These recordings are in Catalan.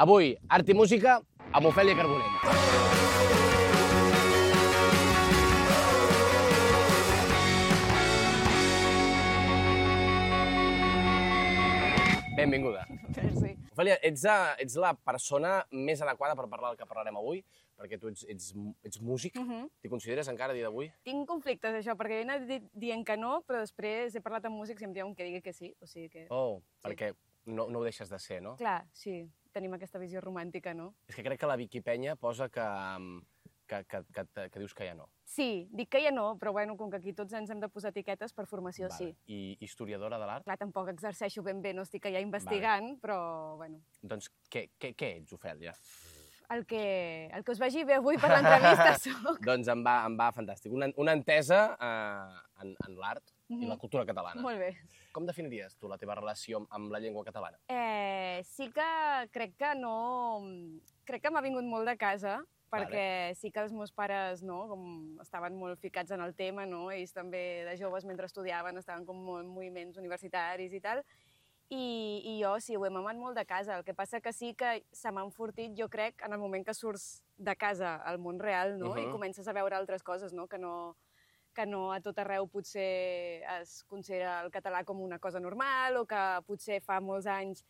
Avui, art i música amb Ofèlia Carbonell. Benvinguda. Merci. Ofèlia, ets la persona més adequada per parlar del que parlarem avui, perquè tu ets músic. T'hi consideres encara a dia d'avui? Tinc conflictes, això, perquè he anat dient que no, però després he parlat amb músics i em diuen que digui que sí. O sigui que... Oh, perquè no ho deixes de ser, no? Clar, sí, tenim aquesta visió romàntica, no? És que crec que la Vicky Penya posa que dius que ja no. Sí, dic que ja no, però bueno, com que aquí tots ens hem de posar etiquetes, per formació sí. I historiadora de l'art? Clar, tampoc exerceixo ben bé, no estic allà investigant, però bueno. Doncs què ets, Ofèlia? El que us vagi bé avui per l'entrevista soc. Doncs em va fantàstic. Una entesa en l'art i la cultura catalana. Molt bé. Com definiries tu la teva relació amb la llengua catalana? Sí que crec que no... Crec que m'ha vingut molt de casa, perquè sí que els meus pares estaven molt ficats en el tema, ells també de joves mentre estudiaven estaven com molt en moviments universitaris i tal, i jo sí, ho he mamat molt de casa. El que passa que sí que se m'ha enfortit, jo crec, en el moment que surts de casa al món real, i comences a veure altres coses, que no a tot arreu potser es considera el català com una cosa normal, o que potser fa molts anys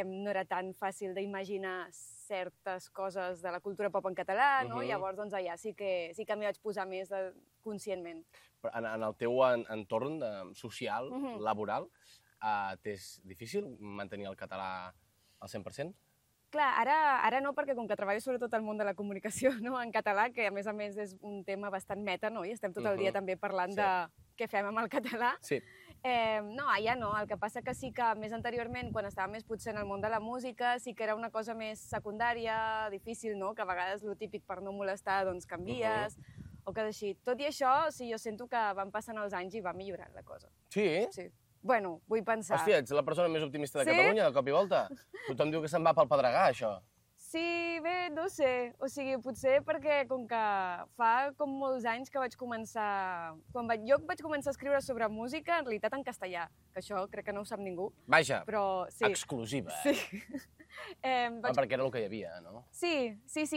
no era tan fàcil d'imaginar certes coses de la cultura pop en català, Llavors, doncs, allà sí que m'hi vaig posar més conscientment. En el teu entorn social, laboral, t'és difícil mantenir el català al 100%? Clar, ara no, perquè com que treballo sobretot al món de la comunicació en català, que a més és un tema bastant meta, i estem tot el dia també parlant de què fem amb el català. Sí. No, allà no. El que passa que sí que més anteriorment, quan estava més potser en el món de la música, sí que era una cosa més secundària, difícil, que a vegades el típic per no molestar doncs canvies, o que així. Tot i això, sí, jo sento que van passant els anys i va millorant la cosa. Sí? Sí. Bueno, vull pensar. Hòstia, ets la persona més optimista de Catalunya, de cop i volta. Tothom diu que se'n va pel pedregar, això. Sí, bé, no sé. O sigui, potser perquè com que fa com molts anys que vaig començar... Jo vaig començar a escriure sobre música, en realitat en castellà, que això crec que no ho sap ningú. Vaja, però, sí. Exclusiva, Sí. Perquè era el que hi havia, no? Sí,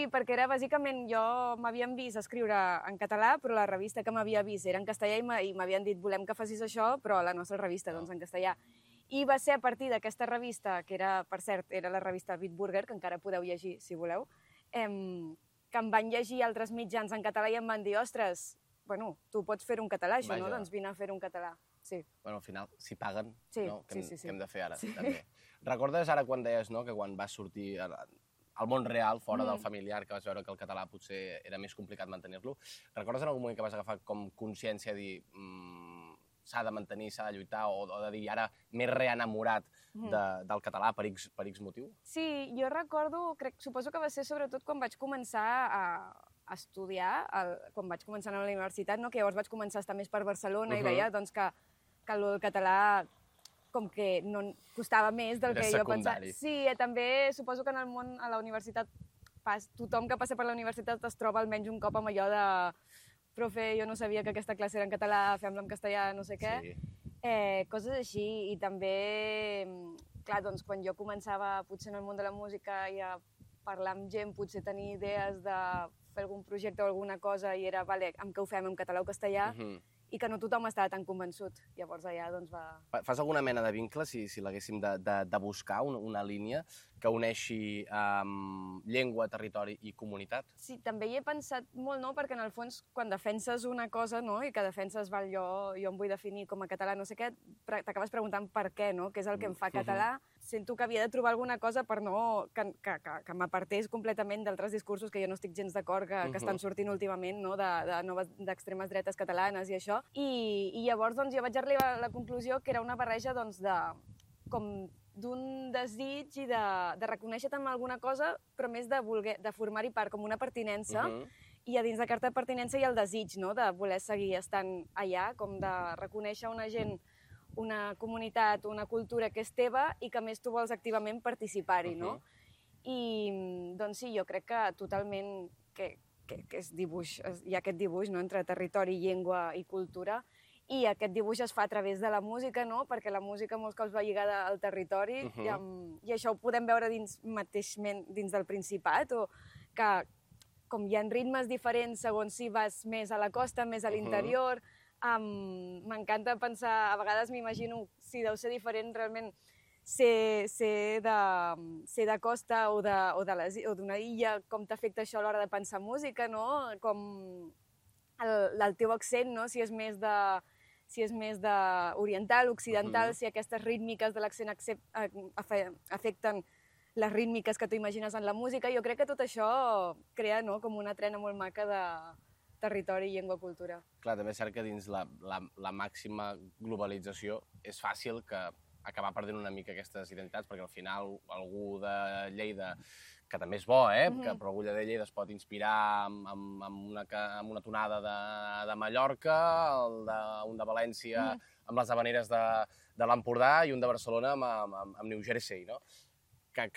perquè era bàsicament jo m'havien vist escriure en català, però la revista que m'havia vist era en castellà i m'havien dit volem que facis això, però a la nostra revista, doncs en castellà. I va ser a partir d'aquesta revista, que era, per cert, era la revista Bitburger, que encara podeu llegir si voleu, que em van llegir altres mitjans en català i em van dir, ostres, bueno, tu pots fer un català, això, no? Doncs vine a fer un català. Sí. Bueno, al final, si paguen, no? Què hem de fer ara, Sí. també. Recordes ara quan deies, no?, que quan vas sortir al món real, fora del familiar, que vas veure que el català potser era més complicat mantenir-lo, recordes en algun moment que vas agafar com consciència de dir s'ha de mantenir, s'ha de lluitar, o de dir ara m'he reenamorat del català per X motiu? Sí, jo recordo, suposo que va ser sobretot quan vaig començar a estudiar, quan vaig començar a la universitat, que llavors vaig començar a estar més per Barcelona i veia doncs, que el català com que no costava més del que jo pensava. Sí, també suposo que en el món, a la universitat, tothom que passa per la universitat es troba almenys un cop amb allò de profe, jo no sabia que aquesta classe era en català, fem-la en castellà, no sé què. Coses així. I també, clar, doncs, quan jo començava potser en el món de la música i a parlar amb gent, potser tenir idees de fer algun projecte o alguna cosa i era, vale, amb què ho fem, en català o castellà, i que no tothom estava tan convençut. Llavors allà doncs va... Fas alguna mena de vincle, si l'haguéssim de buscar, una línia que uneixi llengua, territori i comunitat? Sí, també hi he pensat molt, perquè en el fons, quan defenses una cosa, i que defenses, jo em vull definir com a català, no sé què, t'acabes preguntant per què, què és el que em fa català. Sento que havia de trobar alguna cosa per no... que m'apartés completament d'altres discursos que jo no estic gens d'acord, que estan sortint últimament, d'extremes dretes catalanes i això. I llavors doncs, jo vaig arribar a la conclusió que era una barreja d'un desig i de reconèixer-te amb alguna cosa, però més de formar-hi part, com una pertinença, i a dins d'aquesta pertinença hi ha el desig de voler seguir estant allà, com de reconèixer una gent, una comunitat, una cultura que és teva i que a més tu vols activament participar-hi, I doncs sí, jo crec que totalment que és dibuix, hi ha aquest dibuix entre territori, llengua i cultura, i aquest dibuix es fa a través de la música, no? Perquè la música molts cops va lligada al territori i això ho podem veure mateixment dins del Principat, o que com hi ha ritmes diferents segons si vas més a la costa, més a l'interior. M'encanta pensar, a vegades m'imagino si deu ser diferent realment ser de costa o d'una illa, com t'afecta això a l'hora de pensar música, no? Com el teu accent, no? Si és més oriental, occidental, si aquestes rítmiques de l'accent afecten les rítmiques que tu imagines en la música. Jo crec que tot això crea, no?, com una trena molt maca de territori, llengua, cultura. Clar, també és cert que dins la màxima globalització és fàcil que acabar perdent una mica aquestes identitats, perquè al final algú de Lleida, que també és bo, però algú de Lleida es pot inspirar amb una tonada de Mallorca, un de València amb les havaneres de l'Empordà i un de Barcelona amb New Jersey, no? Que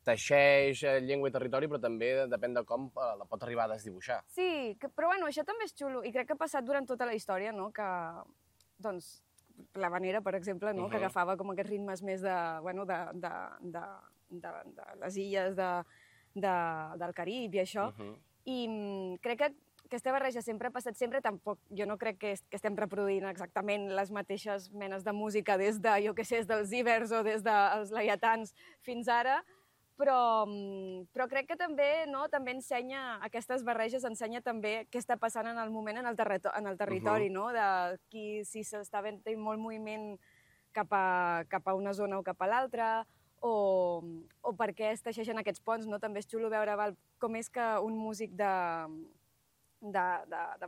teixeix llengua i territori, però també depèn de com la pot arribar a desdibuixar. Sí, però bueno, això també és xulo, i crec que ha passat durant tota la història, no? Que, doncs, l'havanera, per exemple, no? Que agafava com aquests ritmes més de les illes del Carib i això. I crec que aquesta barreja sempre ha passat sempre, tampoc, jo no crec que estem reproduint exactament les mateixes menes de música des de, jo què sé, des dels Ibers o des dels Laietans fins ara, però crec que també, no, també ensenya, aquestes barreges ensenya també què està passant en el moment en el territori, no? De si s'està fent molt moviment cap a una zona o cap a l'altra, o per què es teixeixen aquests ponts, no? També és xulo veure com és que un músic de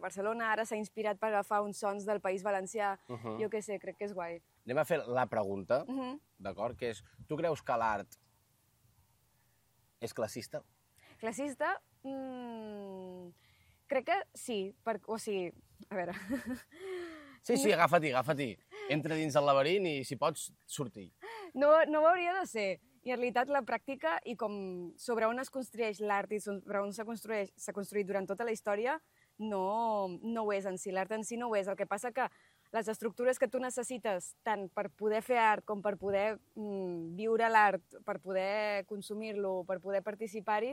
Barcelona ara s'ha inspirat per agafar uns sons del País Valencià. Jo què sé, crec que és guai. Anem a fer la pregunta, d'acord? Que és, tu creus que l'art és classista? Classista? Crec que sí. O sigui, a veure... Sí, agafa-t'hi. Entra dins el laberint i, si pots, sortir. No ho hauria de ser. I en realitat la pràctica i com sobre on es construeix l'art i sobre on s'ha construït durant tota la història no ho és en si. L'art en si no ho és. El que passa que les estructures que tu necessites tant per poder fer art com per poder viure l'art, per poder consumir-lo, per poder participar-hi,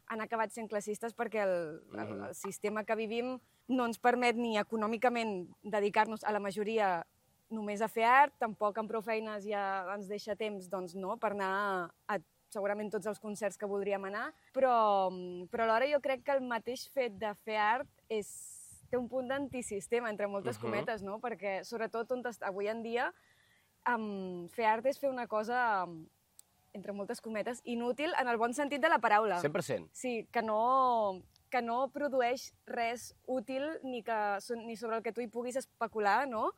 han acabat sent classistes perquè el sistema que vivim no ens permet ni econòmicament dedicar-nos a la majoria només a fer art, tampoc amb prou feines ja ens deixa temps, doncs no, per anar a segurament tots els concerts que voldríem anar, però alhora jo crec que el mateix fet de fer art té un punt d'antisistema, entre moltes cometes, no? Perquè, sobretot, avui en dia, fer art és fer una cosa, entre moltes cometes, inútil en el bon sentit de la paraula. 100%. Sí, que no produeix res útil ni sobre el que tu hi puguis especular, no?,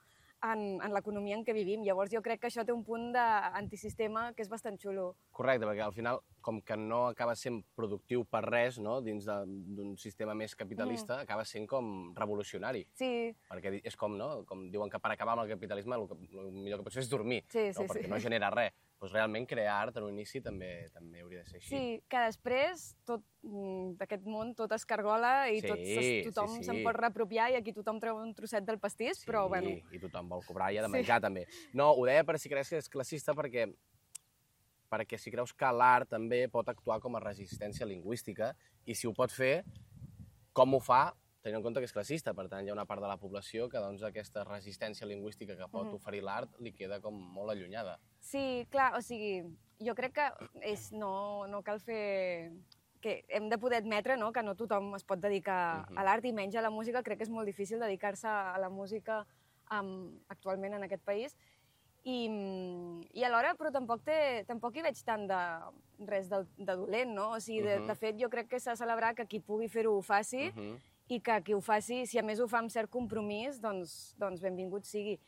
en l'economia en què vivim. Llavors jo crec que això té un punt d'antisistema que és bastant xulo. Correcte, perquè al final, com que no acaba sent productiu per res, no?, dins d'un sistema més capitalista, acaba sent com revolucionari. Sí. Perquè és com, no?, com diuen que per acabar amb el capitalisme el millor que pots fer és dormir, perquè no genera res. Doncs realment crear art en un inici també hauria de ser així. Sí, que després d'aquest món tot es cargola i tothom se'n pot reapropiar i aquí tothom treu un trosset del pastís, però bueno... I tothom vol cobrar i ha de menjar també. No, ho deia per si creus que és classista perquè si creus que l'art també pot actuar com a resistència lingüística i si ho pot fer, com ho fa, tenint en compte que és classista. Per tant, hi ha una part de la població que doncs, aquesta resistència lingüística que pot oferir l'art li queda com molt allunyada. Sí, clar, o sigui, jo crec que no cal fer... que hem de poder admetre, no?, que no tothom es pot dedicar a l'art i menys a la música. Crec que és molt difícil dedicar-se a la música actualment en aquest país. I alhora, però tampoc hi veig tant de res de dolent, no? O sigui, de fet, jo crec que s'ha de celebrar que qui pugui fer-ho ho faci i que qui ho faci, si a més ho fa amb cert compromís, doncs benvingut sigui.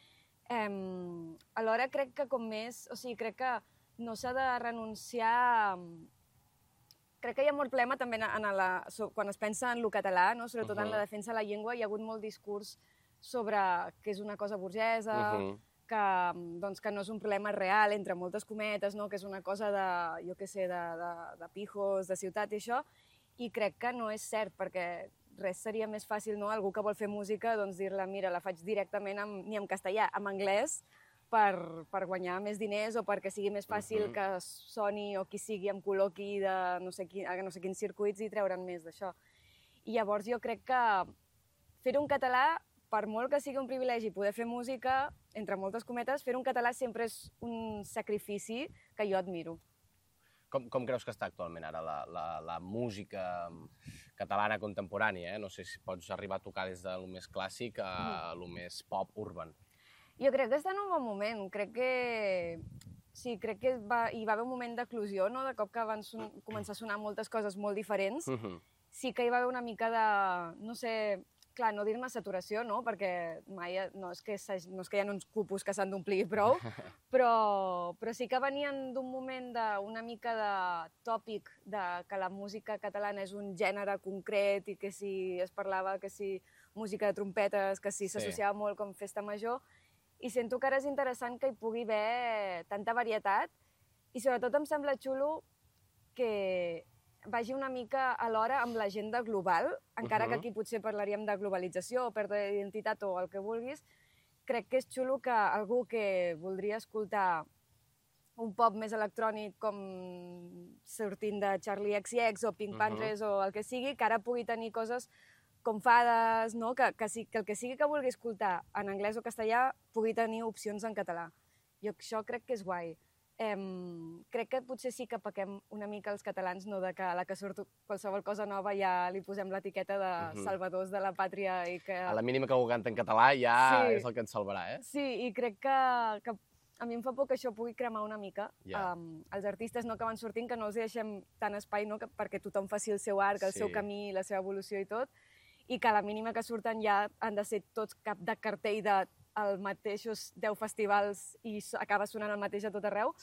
Alhora crec que crec que no s'ha de renunciar... Crec que hi ha molt problema també quan es pensa en lo català, no? Sobretot en la defensa de la llengua, hi ha hagut molt discurs sobre que és una cosa burgesa, que no és un problema real, entre moltes cometes, no? Que és una cosa de pijos, de ciutat i això, i crec que no és cert, perquè res seria més fàcil, no? Algú que vol fer música, doncs dir-la, mira, la faig directament ni en castellà, en anglès, per guanyar més diners o perquè sigui més fàcil que Sony o qui sigui em col·loqui de no sé quins circuits i treure'n més d'això. I llavors jo crec que fer-ho en català, per molt que sigui un privilegi poder fer música, entre moltes cometes, fer-ho en català sempre és un sacrifici que jo admiro. Com creus que està actualment ara la música catalana contemporània? No sé si pots arribar a tocar des de lo més clàssic a lo més pop urban. Jo crec que està en un bon moment. Crec que hi va haver un moment d'eclosió, no? De cop que van començar a sonar moltes coses molt diferents. Sí que hi va haver una mica de, no sé, clar, no dir-ne saturació, no? Perquè mai no és que hi ha uns cupos que s'han d'omplir prou, però sí que venien d'un moment d'una mica de tòpic de que la música catalana és un gènere concret i que si es parlava que si música de trompetes, que si s'associava molt com festa major, i sento que ara és interessant que hi pugui haver tanta varietat i sobretot em sembla xulo que vagi una mica alhora amb l'agenda global, encara que aquí potser parlaríem de globalització o pèrdua d'identitat o el que vulguis. Crec que és xulo que algú que voldria escoltar un pop més electrònic com sortint de Charlie XCX o Pink Panthers o el que sigui, que ara pugui tenir coses com fades, no? Que el que sigui que vulgui escoltar en anglès o castellà pugui tenir opcions en català. Jo això crec que és guai. Crec que potser sí que pequem una mica els catalans, no? De que a la que surt qualsevol cosa nova ja li posem l'etiqueta de salvadors de la pàtria i que... A la mínima que algú canta en català ja és el que ens salvarà, eh? Sí, i crec que a mi em fa por que això pugui cremar una mica. Els artistes que van sortint, que no els deixem tant espai perquè tothom faci el seu arc, el seu camí, la seva evolució i tot, i que a la mínima que surten ja han de ser tots cap de cartell dels mateixos 10 festivals i acaba sonant el mateix a tot arreu.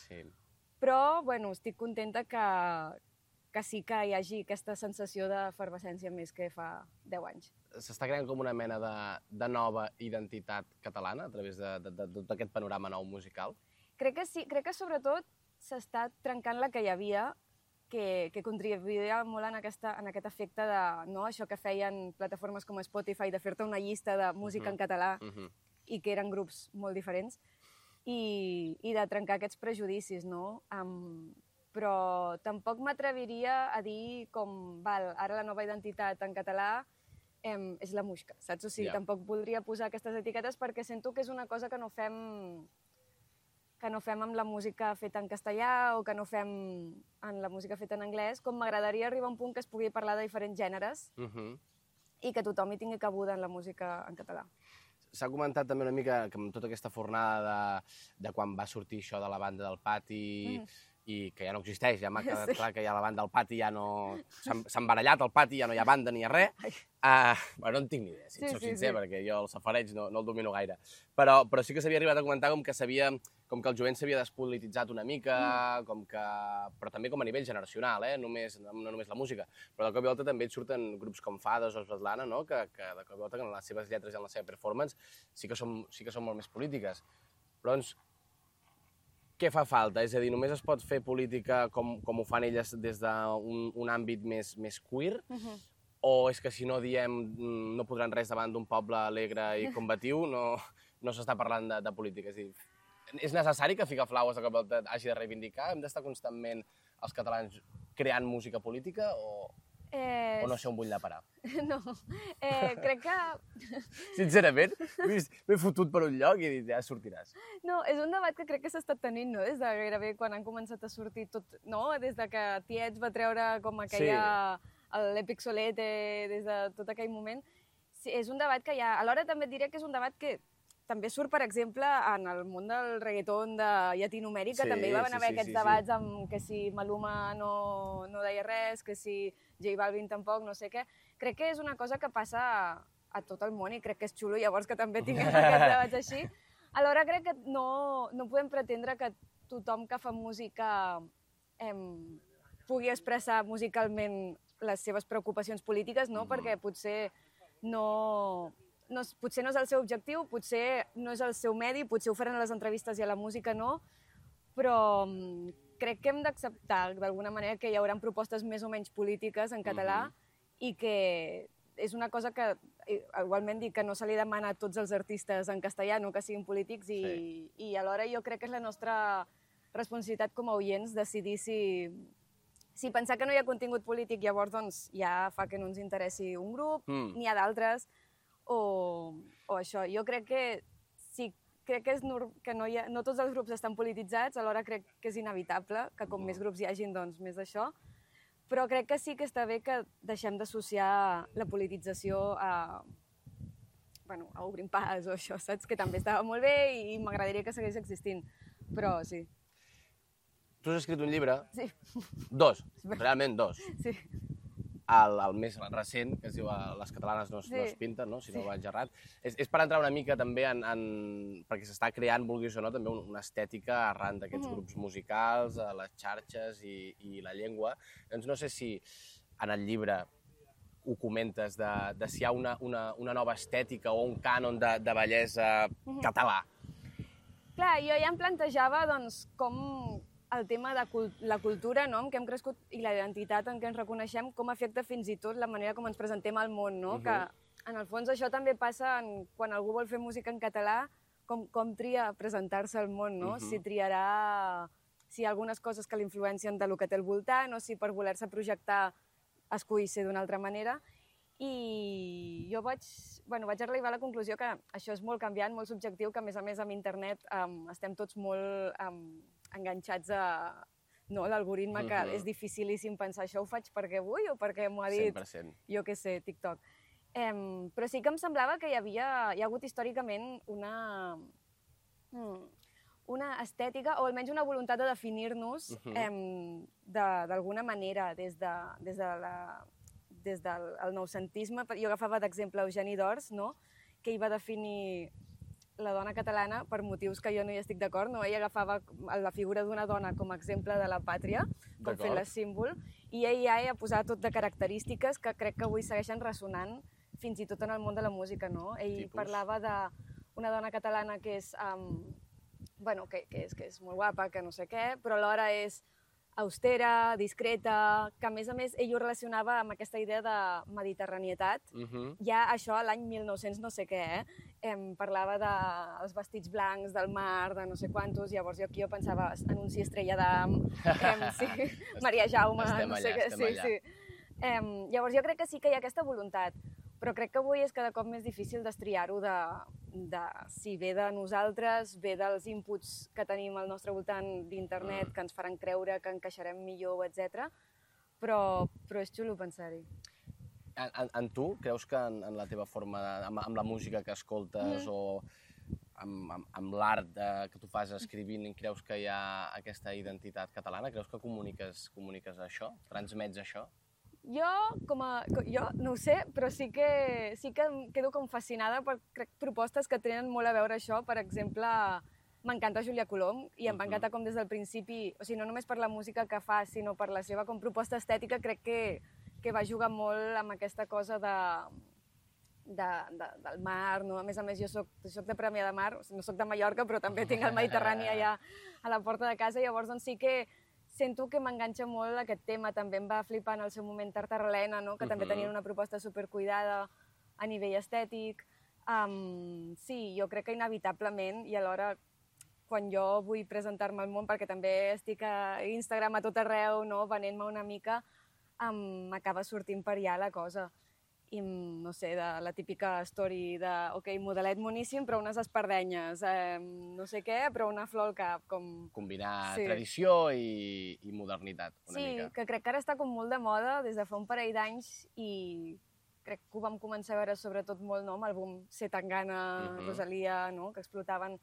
Però, bueno, estic contenta que sí que hi hagi aquesta sensació d'efervescència més que fa 10 anys. S'està creant com una mena de nova identitat catalana a través de tot aquest panorama nou musical? Crec que sí, crec que sobretot s'està trencant la que hi havia, que contribuïa molt en aquest efecte de això que feien plataformes com Spotify, de fer-te una llista de música en català i que eren grups molt diferents, i de trencar aquests prejudicis, no? Però tampoc m'atreviria a dir com, ara la nova identitat en català és la Muixca, saps? O sigui, tampoc voldria posar aquestes etiquetes perquè sento que és una cosa que no fem amb la música feta en castellà o que no fem en la música feta en anglès, com m'agradaria arribar a un punt que es pugui parlar de diferents gèneres i que tothom hi tingui cabuda en la música en català. S'ha comentat també una mica que amb tota aquesta fornada de quan va sortir això de la banda del Pati i que ja no existeix, ja m'ha quedat clar que ja la banda del Pati ja no... S'ha embarallat el Pati, ja no hi ha banda ni hi ha res. Bueno, no en tinc ni idea, si et soc sincer, perquè jo el safareig no el domino gaire. Però sí que s'havia arribat a comentar com que el jovent s'havia despolititzat una mica, però també com a nivell generacional, no només la música. Però de cop i volta també et surten grups com Fades o Svetlana, que de cop i volta en les seves lletres i en la seva performance sí que són molt més polítiques. Però doncs, què fa falta? És a dir, només es pot fer política com ho fan elles des d'un àmbit més queer? O és que si no diem no podran res davant d'un poble alegre i combatiu, no s'està parlant de política? És a dir, és necessari que Figaflaues de cop i volta hagi de reivindicar? Hem d'estar constantment els catalans creant música política o no sé on vull anar a parar? No, crec que... Sincerament, m'he fotut per un lloc i he dit, ja sortiràs. No, és un debat que crec que s'ha estat tenint, no? Des de gairebé quan han començat a sortir tot, no? Des de que Tiets va treure com aquella... l'Èpic Solete, des de tot aquell moment. Sí, és un debat que hi ha... Alhora també et diré que és un debat que també surt, per exemple, en el món del reggaeton de Llatinoamèrica, també hi van haver aquests debats amb que si Maluma no deia res, que si J Balvin tampoc, no sé què. Crec que és una cosa que passa a tot el món i crec que és xulo llavors que també tinguem aquests debats així. Alhora crec que no podem pretendre que tothom que fa música pugui expressar musicalment les seves preocupacions polítiques, no? Perquè potser no és el seu objectiu, potser no és el seu medi, potser ho faran a les entrevistes i a la música no, però crec que hem d'acceptar d'alguna manera que hi haurà propostes més o menys polítiques en català i que és una cosa que, igualment dic que no se li demana a tots els artistes en castellà, no que siguin polítics, i alhora jo crec que és la nostra responsabilitat com a oients decidir si pensar que no hi ha contingut polític llavors doncs ja fa que no ens interessi un grup, n'hi ha d'altres, o això. Jo crec que crec que no tots els grups estan polititzats, alhora crec que és inevitable que com més grups hi hagin, doncs més d'això, però crec que sí que està bé que deixem d'associar la politització a Obrim Pas o això, saps? Que també estava molt bé i m'agradaria que segueix existint, però sí. Tu has escrit un llibre? Sí. Dos, realment dos. Sí. El més recent, que es diu Les catalanes no es pinten, no? Si no vaig errat. És per entrar una mica també perquè s'està creant, vulguis o no, també una estètica arran d'aquests grups musicals, les xarxes i la llengua. Doncs no sé si en el llibre ho comentes de si hi ha una nova estètica o un cànon de bellesa català. Clar, jo ja em plantejava doncs, com el tema de la cultura, no?, en què hem crescut, i la identitat en què ens reconeixem, com afecta fins i tot la manera com ens presentem al món, no? Que, en el fons, això també passa quan algú vol fer música en català, com tria presentar-se al món, no? Si triarà si hi ha algunes coses que l'influencien del que té al voltant, o si per voler-se projectar escull ser d'una altra manera. I jo vaig arribar a la conclusió que això és molt canviant, molt subjectiu, que a més amb internet estem tots molt enganxats a l'algoritme, que és dificilíssim pensar això ho faig perquè vull o perquè m'ho ha dit, 100%. Jo què sé, TikTok. Però sí que em semblava que hi ha hagut històricament una estètica, o almenys una voluntat de definir-nos d'alguna manera des del noucentisme. Jo agafava d'exemple Eugeni d'Ors, no?, que hi va definir la dona catalana per motius que jo no hi estic d'acord, no? Ell agafava la figura d'una dona com a exemple de la pàtria, com fent-la símbol, i ell ja ha posat tot de característiques que crec que avui segueixen ressonant fins i tot en el món de la música, no? Ell parlava d'una dona catalana que és, que és molt guapa, que no sé què, però alhora és austera, discreta, que a més ell ho relacionava amb aquesta idea de mediterranietat. Ja això l'any 1900 no sé què, parlava dels vestits blancs, del mar, de no sé quantos, llavors jo aquí pensava Anunci Estrella d'Am, Maria Jaume, no sé què. Llavors jo crec que sí que hi ha aquesta voluntat, però crec que avui és cada cop més difícil destriar-ho de si ve de nosaltres, ve dels inputs que tenim al nostre voltant d'internet, que ens faran creure que encaixarem millor, etc. Però és xulo pensar-hi. En tu, creus que en la teva forma, amb la música que escoltes o amb l'art que tu fas escrivint, creus que hi ha aquesta identitat catalana? Creus que comuniques això? Transmets això? Jo no ho sé, però sí que em quedo com fascinada per propostes que tenen molt a veure això. Per exemple, m'encanta Júlia Colom i em va encantar com des del principi, o sigui, no només per la música que fa, sinó per la seva com proposta estètica, crec que va jugar molt amb aquesta cosa del mar, no? A més, jo soc de Premià de Mar, o sigui, no soc de Mallorca, però també tinc el Mediterrani allà a la porta de casa, llavors doncs sí que sento que m'enganxa molt aquest tema. També em va flipar en el seu moment Tartarrelena, no?, que també tenien una proposta supercuidada a nivell estètic. Sí, jo crec que inevitablement, i alhora quan jo vull presentar-me al món, perquè també estic a Instagram a tot arreu, no?, venent-me una mica, m'acaba sortint per allà la cosa. I, no sé, de la típica story de, modelet moníssim, però unes espardenyes, no sé què, però una flor al cap, com... Combinar tradició i modernitat, una mica. Sí, que crec que ara està com molt de moda des de fa un parell d'anys i crec que ho vam començar a veure sobretot molt, no?, amb el boom Zetangana, Rosalia, no?, que explotaven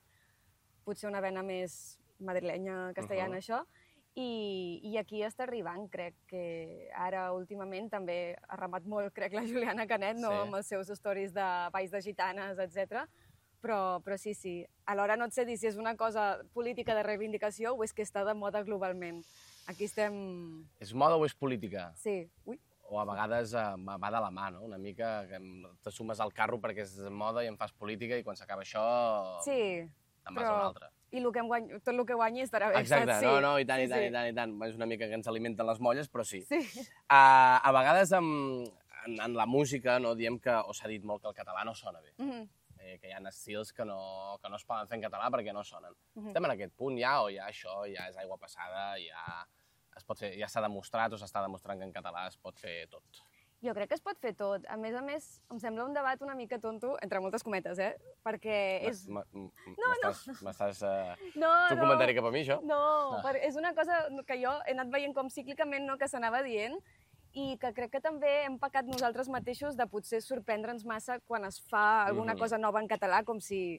potser una vena més madrilenya, castellana, això. I aquí està arribant, crec que ara últimament també ha remat molt, crec, la Juliana Canet, no?, amb els seus stories de balls de gitanes, etc. Però sí. Alhora no et sé dir si és una cosa política de reivindicació o és que està de moda globalment. Aquí estem... És moda o és política? Sí. Ui. O a vegades va de la mà, no? Una mica que te sumes al carro perquè és moda i en fas política i quan s'acaba això... Sí, te'n vas a una altra. I tot el que guanyi estarà bé. Exacte, no, i tant. És una mica que ens alimenten les molles, però sí. A vegades, en la música, no, diem que, o s'ha dit molt que el català no sona bé. Que hi ha estils que no es poden fer en català perquè no sonen. Estem en aquest punt ja, o ja això ja és aigua passada, ja s'ha demostrat o s'està demostrant que en català es pot fer tot. Jo crec que es pot fer tot. A més, em sembla un debat una mica tonto, entre moltes cometes, perquè és... M'estàs fent un comentari cap a mi, això? No, és una cosa que jo he anat veient com cíclicament, no, que s'anava dient, i que crec que també hem pecat nosaltres mateixos de potser sorprendre'ns massa quan es fa alguna cosa nova en català, com si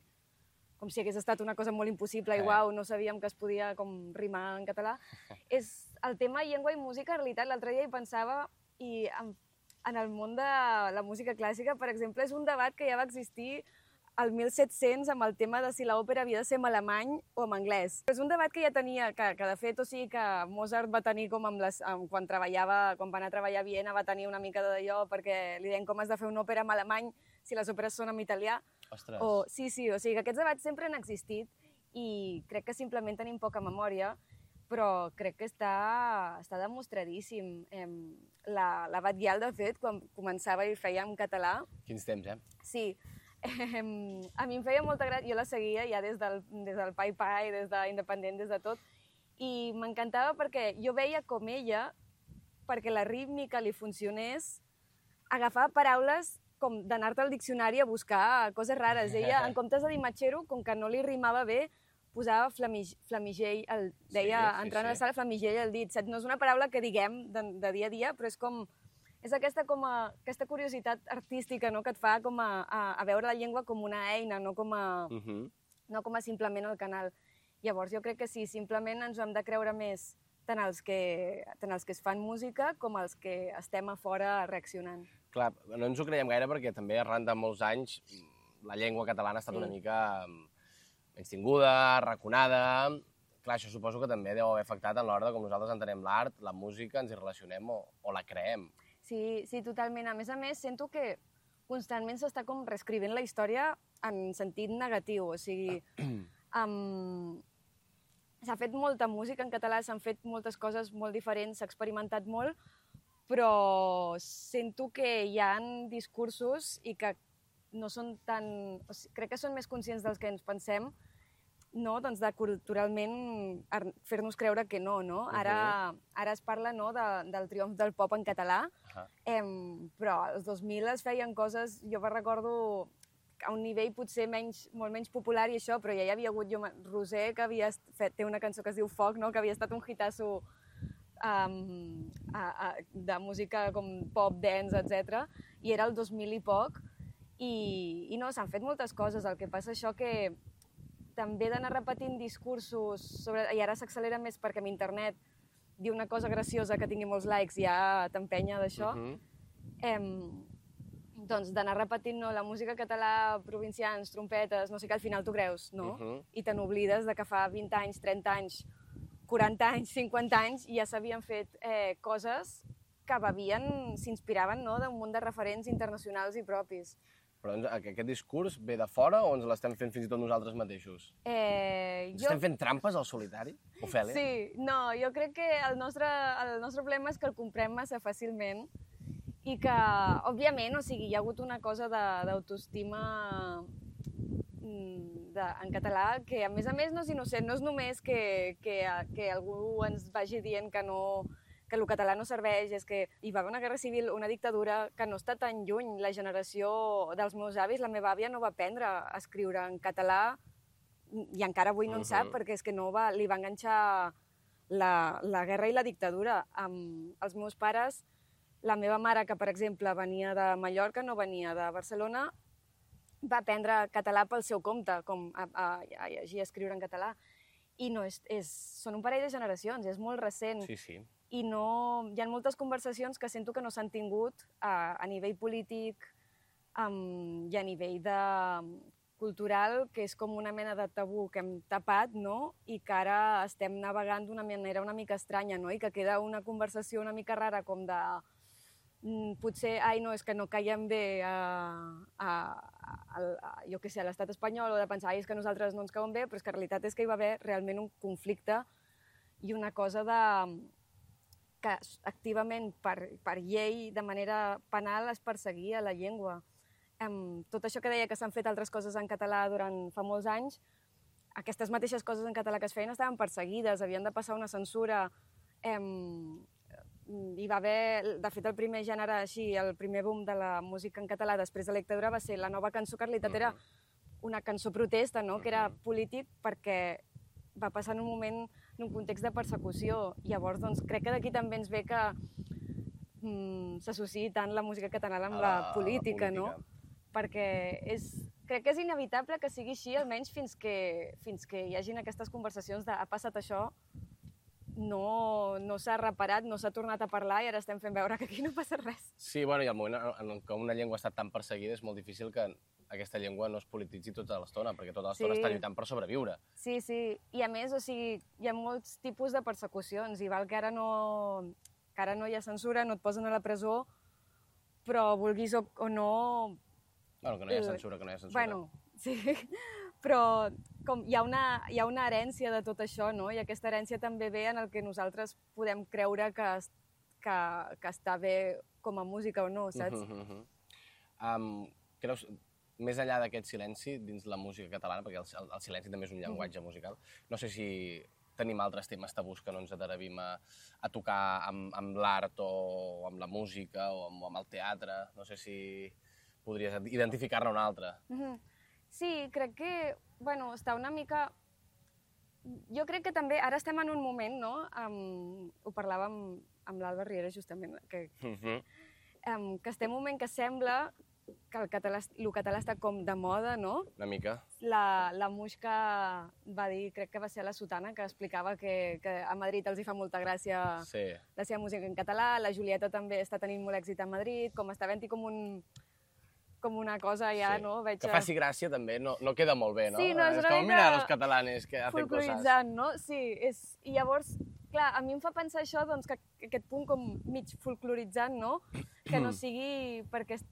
hagués estat una cosa molt impossible i uau, no sabíem que es podia com rimar en català. És el tema llengua i música, en realitat, l'altre dia hi pensava, i en el món de la música clàssica, per exemple, és un debat que ja va existir al 1700 amb el tema de si l'òpera havia de ser en alemany o en anglès. És un debat que ja tenia, que de fet, o sigui que Mozart va tenir com quan va anar a treballar a Viena, va tenir una mica d'allò perquè li deien com has de fer una òpera en alemany si les òperes són en italià. Ostres! Sí, o sigui que aquests debats sempre han existit i crec que simplement tenim poca memòria, però crec que està demostradíssim. La Batguial, de fet, quan començava i feia en català... Quins temps, eh? Sí. A mi em feia molta gràcia, jo la seguia ja des del Pai Pai, des d'Independent, des de tot, i m'encantava perquè jo veia com ella, perquè la rítmica li funcionés, agafava paraules com d'anar-te al diccionari a buscar coses rares. Ella, en comptes de dir matxero, com que no li rimava bé, posava flamigell, deia, entrant a la sala, flamigell al dit. No és una paraula que diguem de dia a dia, però és com... És aquesta curiositat artística, no?, que et fa com a veure la llengua com una eina, no com a simplement el canal. Llavors jo crec que sí, simplement ens ho hem de creure més tant els que es fan música com els que estem a fora reaccionant. Clar, no ens ho creiem gaire perquè també arran de molts anys la llengua catalana ha estat una mica menystinguda, arraconada. Clar, això suposo que també deu haver afectat en l'hora de com nosaltres entenem l'art, la música, ens hi relacionem o la creem. Sí, totalment. A més, sento que constantment s'està com reescrivint la història en sentit negatiu. O sigui, s'ha fet molta música en català, s'han fet moltes coses molt diferents, s'ha experimentat molt, però sento que hi ha discursos i que no són tan... O sigui, crec que són més conscients dels que ens pensem, no? Doncs de culturalment fer-nos creure que no, no? Ara es parla, no, del triomf del pop en català, però als 2000 es feien coses, jo recordo a un nivell potser molt menys popular i això, però ja hi havia hagut Roser, que té una cançó que es diu Foc, no?, que havia estat un hitasso de música com pop, dance, etc. I era el 2000 i poc, i no, s'han fet moltes coses. El que passa això que també d'anar repetint discursos, i ara s'accelera més perquè amb internet dir una cosa graciosa que tingui molts likes ja t'empenya d'això, doncs d'anar repetint la música català, provincians, trompetes, no sé què, al final t'ho creus, no? I te n'oblides de que fa 20 anys, 30 anys, 40 anys, 50 anys ja s'havien fet coses que s'inspiraven d'un munt de referents internacionals i propis. Però aquest discurs ve de fora o ens l'estem fent fins i tot nosaltres mateixos? Estem fent trampes al solitari, Ofèlia? Sí, no, jo crec que el nostre problema és que el comprem massa fàcilment i que, òbviament, o sigui, hi ha hagut una cosa d'autoestima en català que, a més, no és innocent, no és només que algú ens vagi dient que el català no serveix, és que hi va haver una guerra civil, una dictadura que no està tan lluny. La generació dels meus avis, la meva àvia no va aprendre a escriure en català i encara avui no en sap perquè és que li va enganxar la guerra i la dictadura. Els meus pares, la meva mare, que per exemple venia de Mallorca, no venia de Barcelona, va aprendre català pel seu compte, com a llegir i escriure en català. I no, són un parell de generacions, és molt recent. Sí. I hi ha moltes conversacions que sento que no s'han tingut a nivell polític i a nivell cultural, que és com una mena de tabú que hem tapat, no? I que ara estem navegant d'una manera una mica estranya, no? I que queda una conversació una mica rara, com de... potser, no, és que no caiem bé jo què sé, a l'estat espanyol, o de pensar, és que nosaltres no ens cauen bé, però és que la realitat és que hi va haver realment un conflicte i una cosa que activament, per llei, de manera penal, es perseguia la llengua. Tot això que deia que s'han fet altres coses en català durant fa molts anys, aquestes mateixes coses en català que es feien estaven perseguides, havien de passar una censura. Hi va haver, de fet, el primer gènere així, el primer boom de la música en català després de la dictadura va ser la nova cançó Carlitat, era una cançó protesta, no?, que era polític perquè va passar en un moment, en un context de persecució. Llavors, doncs, crec que d'aquí també ens ve que s'associï tant la música catalana amb la política, no? Perquè crec que és inevitable que sigui així, almenys fins que hi hagin aquestes conversacions de ha passat això, no s'ha reparat, no s'ha tornat a parlar i ara estem fent veure que aquí no passa res. Sí, bueno, i al moment en què una llengua ha estat tan perseguida és molt difícil que aquesta llengua no es polititzi tota l'estona, perquè tota l'estona està lluitant per sobreviure. Sí, i a més, o sigui, hi ha molts tipus de persecucions, i val que ara no hi ha censura, no et posen a la presó, però vulguis o no... Bueno, que no hi ha censura, que no hi ha censura. Bueno, sí, però com hi ha una herència de tot això, no? I aquesta herència també ve en el que nosaltres podem creure que està bé com a música o no, saps? Creus, més enllà d'aquest silenci dins la música catalana, perquè el silenci també és un llenguatge musical, no sé si tenim altres temes tabús que no ens atrevim a tocar amb l'art o amb la música o amb el teatre, no sé si podries identificar-ne un altre. Sí, crec que, bueno, està una mica... Jo crec que també, ara estem en un moment, no? Ho parlàvem amb l'Alba Riera, justament, que estem en un moment que sembla que el català està com de moda, no? Una mica. La Muixca va dir, crec que va ser a la Sotana, que explicava que a Madrid els hi fa molta gràcia la seva música en català, la Julieta també està tenint molt èxit a Madrid, com està havent-hi com una cosa ja, no? Que faci gràcia també, no queda molt bé, no? Sí, no, és una mica... Mira, els catalanes que hacen coses. Folcloritzant, no? Sí, i llavors, clar, a mi em fa pensar això, doncs, que aquest punt com mig folcloritzant, no? Que no sigui perquè es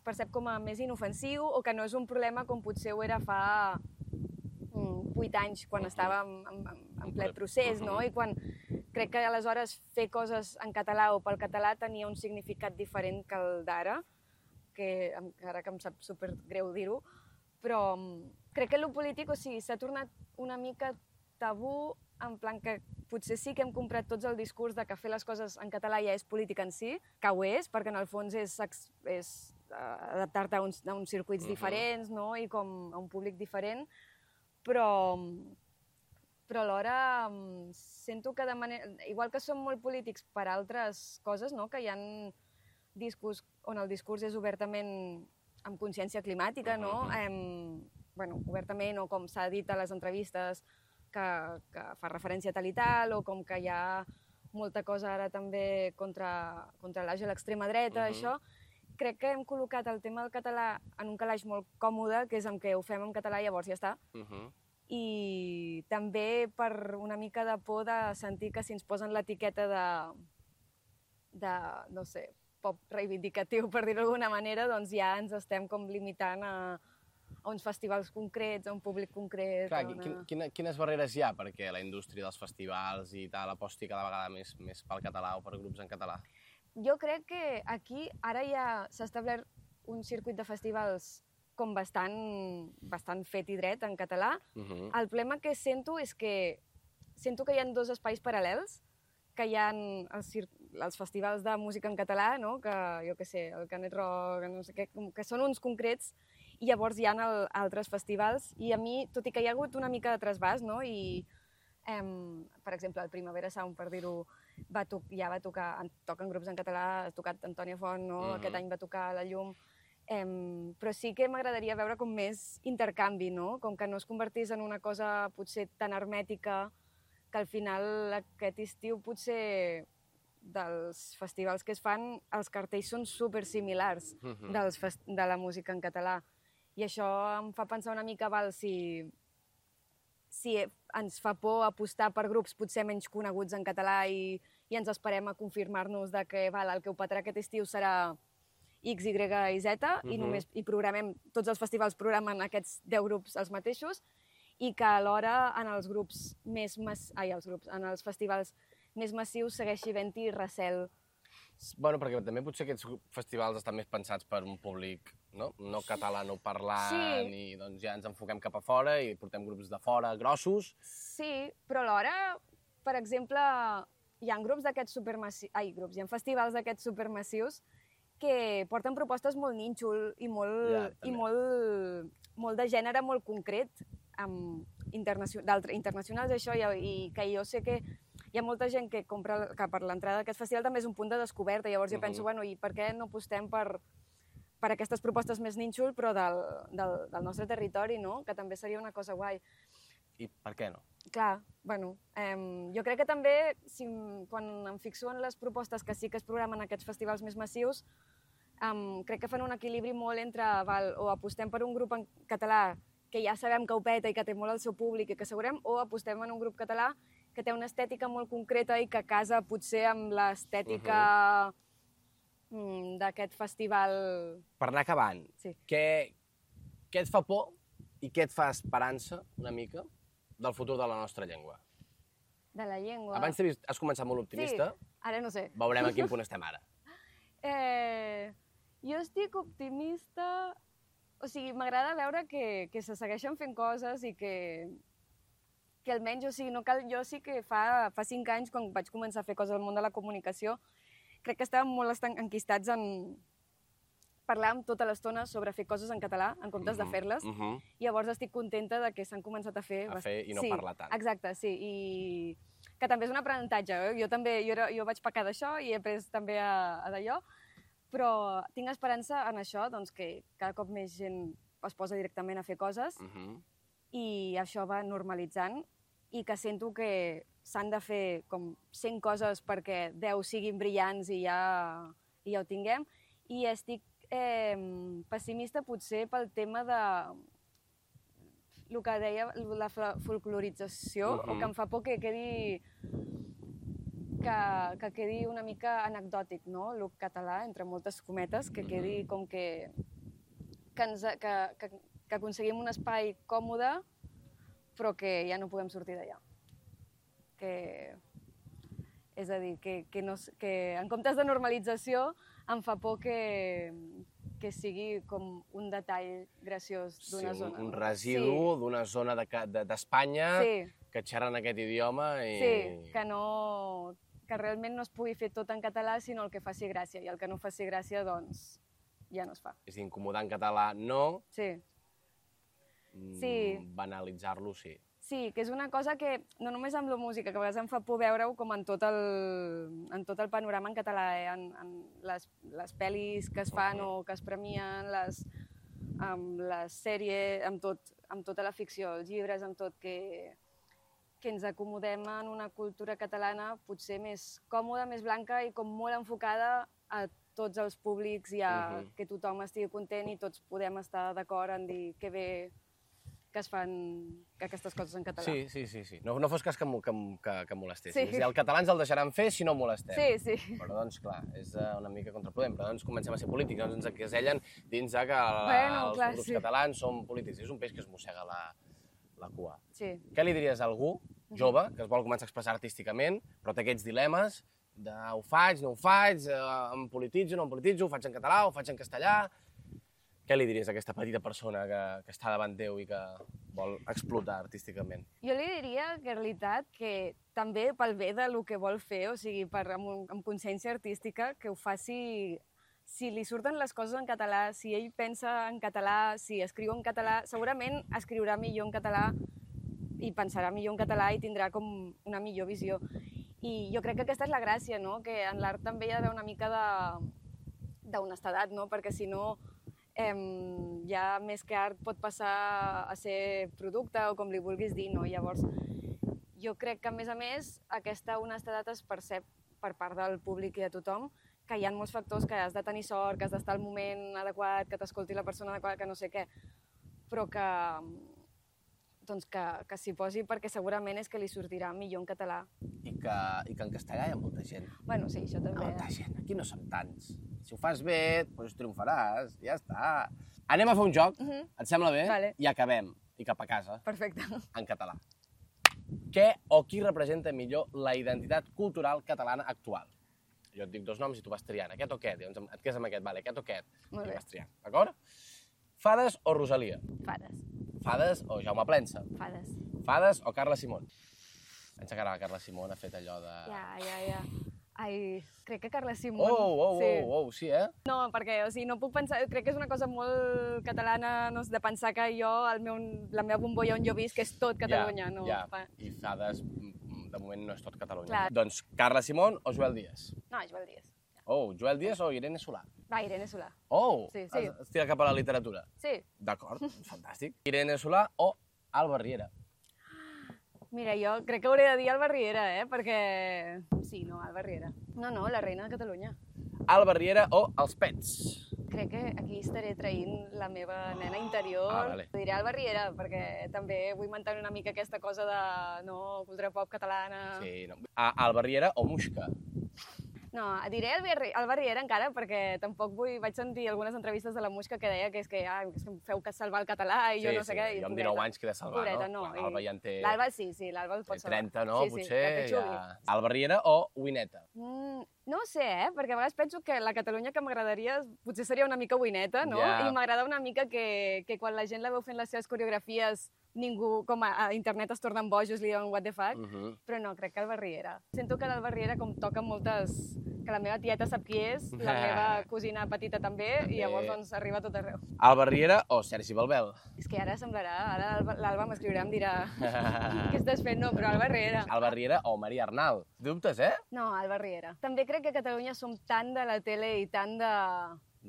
percep com a més inofensiu o que no és un problema com potser ho era fa 8 anys, quan estava en ple procés, no? I quan crec que aleshores fer coses en català o pel català tenia un significat diferent que el d'ara, que encara que em sap supergreu dir-ho, però crec que el polític, o sigui, s'ha tornat una mica tabú, en plan que potser sí que hem comprat tots el discurs de que fer les coses en català ja és política en si, que ho és, perquè en el fons és adaptar-te a uns circuits diferents, no? I com a un públic diferent, però alhora sento que de manera... Igual que som molt polítics per altres coses, no? Que hi ha discos on el discurs és obertament amb consciència climàtica, no? Bueno, obertament, o com s'ha dit a les entrevistes, que fa referència a tal i tal, o com que hi ha molta cosa ara també contra l'auge de l'extrema dreta, això. Crec que hem col·locat el tema del català en un calaix molt còmode, que és en què ho fem en català i llavors ja està. I també per una mica de por de sentir que si ens posen l'etiqueta de, no sé, pop reivindicatiu, per dir-ho d'alguna manera, doncs ja ens estem com limitant a uns festivals concrets, a un públic concret... Clar, quines barreres hi ha perquè la indústria dels festivals i tal aposti cada vegada més pel català o per grups en català? Jo crec que aquí ara ja s'ha establert un circuit de festivals com bastant fet i dret en català. El problema que sento és que sento que hi ha dos espais paral·lels, que hi ha els festivals de música en català, no? Que, jo què sé, el Canet Rock, no sé què, que són uns concrets, i llavors hi ha altres festivals, i a mi, tot i que hi ha hagut una mica de trasbàs, no? I, per exemple, el Primavera Sound, per dir-ho, ja va tocar, toquen grups en català, ha tocat Antònia Font, no? Aquest any va tocar La Llum, però sí que m'agradaria veure com més intercanvi, no? Com que no es convertís en una cosa potser tan hermètica, que al final aquest estiu potser dels festivals que es fan, els cartells són supersimilars de la música en català. I això em fa pensar una mica, si ens fa por apostar per grups potser menys coneguts en català i ens esperem a confirmar-nos que el que ho petarà aquest estiu serà X, Y i Z, i programem, tots els festivals programen aquests 10 grups els mateixos, i que alhora en els festivals més massius segueixi havent-hi recel. Bueno, perquè també potser aquests festivals estan més pensats per un públic no catalanoparlant i doncs ja ens enfoquem cap a fora i portem grups de fora grossos. Sí, però alhora, per exemple, hi ha grups d'aquests supermassius... hi ha festivals d'aquests supermassius que porten propostes molt nínxol i molt de gènere molt concret, internacionals, això, i que jo sé que hi ha molta gent que compra que per l'entrada d'aquest festival també és un punt de descoberta. Llavors jo penso, bueno, i per què no apostem per aquestes propostes més nínxol, però del nostre territori, no? Que també seria una cosa guai. I per què no? Clar, bueno, jo crec que també, quan em fixo en les propostes que sí que es programen aquests festivals més massius, crec que fan un equilibri molt entre o apostem per un grup en català que ja sabem que ho peta i que té molt el seu públic i que assegurem, o apostem en un grup català que té una estètica molt concreta i que casa potser amb l'estètica d'aquest festival. Per anar acabant, Sí. què et fa por i què et fa esperança, una mica, del futur de la nostra llengua? De la llengua. Abans has començat molt optimista. Sí, ara no sé. Veurem a quin punt estem ara. Jo estic optimista... O sigui, m'agrada veure que se segueixen fent coses i que almenys, o sigui, no cal... Jo sí que fa 5 anys, quan vaig començar a fer coses al món de la comunicació, crec que estàvem molt enquistats en parlar tota l'estona sobre fer coses en català, en comptes de fer-les. I llavors estic contenta de que s'han començat a fer... I no parlar tant. Exacte, sí. I que també és un aprenentatge. Jo vaig pecar d'això i he après també a d'allò, però tinc esperança en això, doncs, que cada cop més gent es posa directament a fer coses i això va normalitzant i que sento que s'han de fer com 100 coses perquè 10 siguin brillants i ja ho tinguem. I estic pessimista potser pel tema de el que deia, la folclorització, o que em fa por que quedi una mica anecdòtic, no? El català, entre moltes cometes, que quedi com que aconseguim un espai còmode, però que ja no podem sortir d'allà. És a dir, que en comptes de normalització em fa por que sigui com un detall graciós d'una zona. Un residu d'una zona d'Espanya que xerren aquest idioma i... Sí, que realment no es pugui fer tot en català, sinó el que faci gràcia, i el que no faci gràcia, doncs, ja no es fa. És a dir, incomodar en català no, sí. Banalitzar-lo sí. Sí, que és una cosa que, no només amb la música, que a vegades em fa por veure-ho com en tot el panorama en català, en les pel·lis que es fan o que es premien, les sèries, amb tota la ficció, els llibres, amb tot, que ens acomodem en una cultura catalana potser més còmoda, més blanca i com molt enfocada a tots els públics i a que tothom estigui content i tots podem estar d'acord en dir que bé que es fan aquestes coses en català. Sí. No fos cas que molestessin. Sí. El català ens el deixaran fer si no molestem. Sí. Però, doncs, clar, és una mica contrapodent. Però, doncs, comencem a ser polítics. Doncs ens encasellen dins que els grups catalans són polítics. És un peix que es mossega la cua. Sí. Què li diries a algú jove que es vol començar a expressar artísticament, però té aquests dilemes de ho faig, no ho faig, em polititzo, no em polititzo, ho faig en català, ho faig en castellà... Què li diries a aquesta petita persona que està davant teu i que vol explotar artísticament? Jo li diria que, en realitat, que també pel bé del que vol fer, o sigui, amb consciència artística, que ho faci... Si li surten les coses en català, si ell pensa en català, si escriu en català, segurament escriurà millor en català i pensarà millor en català i tindrà com una millor visió. I jo crec que aquesta és la gràcia, no? Que en l'art també hi ha d'haver una mica d'honestedat, no? Perquè si no... ja més que art pot passar a ser producte o com li vulguis dir, no? Llavors, jo crec que, a més, aquesta honestedat es percep per part del públic i de tothom, que hi ha molts factors que has de tenir sort, que has d'estar al moment adequat, que t'escolti la persona adequada, que no sé què, però que s'hi posi perquè segurament és que li sortirà millor en català. I que en castellà hi ha molta gent. Bueno, sí, això també. Molta gent, aquí no som tants. Si ho fas bé, doncs triomfaràs, ja està. Anem a fer un joc, et sembla bé? Vale. I acabem, i cap a casa. Perfecte. En català. Què o qui representa millor la identitat cultural catalana actual? Jo et dic dos noms i tu vas triant, aquest o aquest, llavors et quedes amb aquest, vale, aquest o aquest, Molt i bé. vas triant, d'acord? Fades o Rosalia? Fades. Fades o Jaume Plensa? Fades. Fades o Carla Simón? Pensa que ara la Carla Simón ha fet allò de... Ja. Ai, crec que Carla Simón... Sí, eh? No, perquè, o sigui, no puc pensar... Crec que és una cosa molt catalana, no, de pensar que jo, la meva bombolla on jo visc, és tot Catalunya, no? Ja, i Fades, de moment, no és tot Catalunya. Clar. Doncs Carla Simón o Joel Díaz? No, Joel Díaz. Joel Díaz o Irene Solà? Va, Irene Solà. Sí. Sí. Es tira cap a la literatura? Sí. D'acord, fantàstic. Irene Solà o Alba Riera? Mira, jo crec que hauré de dir Alba Riera, perquè... Sí, no, Alba Riera. No, la reina de Catalunya. Alba Riera o Els Pets? Crec que aquí estaré traint la meva nena interior. Vale. Diré Alba Riera, perquè també vull mantenir una mica aquesta cosa de, no, cultura pop catalana. Sí, no. Alba Riera o Muixca? No, diré Alba Riera encara, perquè tampoc vaig sentir algunes entrevistes de la Muixca que deia que és que feu que salvar el català i jo no sé què. Jo amb 19 anys que he de salvar, pobreta, no? no. L'Alba ja en té... L'Alba sí, l'Alba el pot salvar. 30, no? Sí, Potser que ja... Alba Riera o Wineta? No ho sé, perquè a vegades penso que la Catalunya que m'agradaria potser seria una mica Wineta, no? Ja. I m'agrada una mica que quan la gent la veu fent les seves coreografies ningú, com a internet es tornen bojos, li diuen what the fuck, però no, crec que Alba Riera. Sento que l'Alba Riera com toca moltes... que la meva tieta sap qui és, la meva cosina petita també, i llavors doncs arriba a tot arreu. Alba Riera o Sergi Balbel? És que ara semblarà, ara l'Alba m'escriurà i em dirà què estàs fent? No, però Alba Riera. Alba Riera o Maria Arnal? Dubtes, eh? No, Alba Riera. També crec que a Catalunya som tan de la tele i tan de...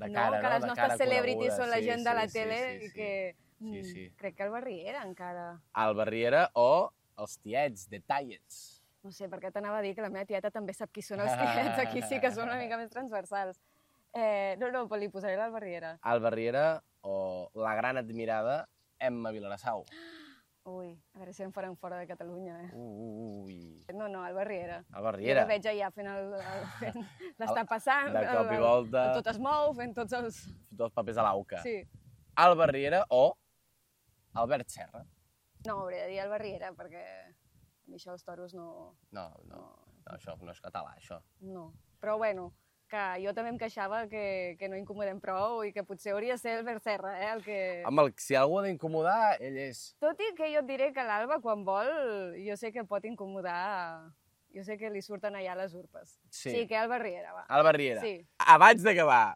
De cara, que les De nostres cara celebrities coneguda. són la gent de la Sí, tele sí. i que... Sí. Crec que Alba Riera encara. Alba Riera o els tiets, Detallets? No sé, perquè t'anava a dir que la meva tieta també sap qui són els tiets, aquí sí que són una mica més transversals. No, però li posaré l'Alba Riera. Alba Riera o la gran admirada Emma Vilarassau? Ui, a veure si em faran fora de Catalunya, Ui. No, Alba Riera. Alba Jo Riera. la veig allà fent l'està passant, De cop i volta. tot es mou, fent tots els... Tots els papers a l'auca. Sí. Alba Riera o Albert Serra? No, hauré de dir Alba Riera, perquè a mi això dels toros no... No, això no és català, això. No, però bueno, que jo també em queixava que no incomodem prou i que potser hauria de ser Albert Serra, el que... Home, si algú ha d'incomodar, ell és... Tot i que jo et diré que l'Alba, quan vol, jo sé que pot incomodar... Jo sé que li surten allà les urpes. Sí, que Alba Riera, va. Alba Riera. Sí. Abans d'acabar,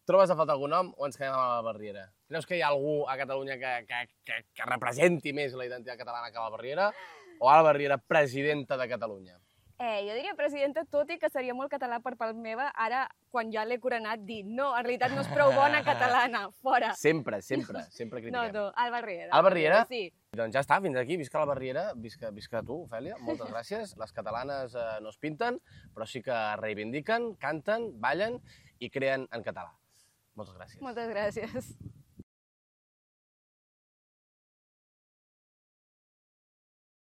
trobes a faltar algun nom o ens quedem amb Alba Riera? Creus que hi ha algú a Catalunya que representi més la identitat catalana que Alba Riera? O Alba Riera, presidenta de Catalunya? Jo diria presidenta, tot i que seria molt català per part meva, ara, quan ja l'he coronat, dir no, en realitat no és prou bona catalana, fora. Sempre critiquem. No, Alba Riera. Alba Riera? Sí. Doncs ja està, fins aquí. Visca l'Alba Riera, visca tu, Ofèlia. Moltes gràcies. Les catalanes no es pinten, però sí que reivindiquen, canten, ballen i creen en català. Moltes gràcies. Moltes gràcies.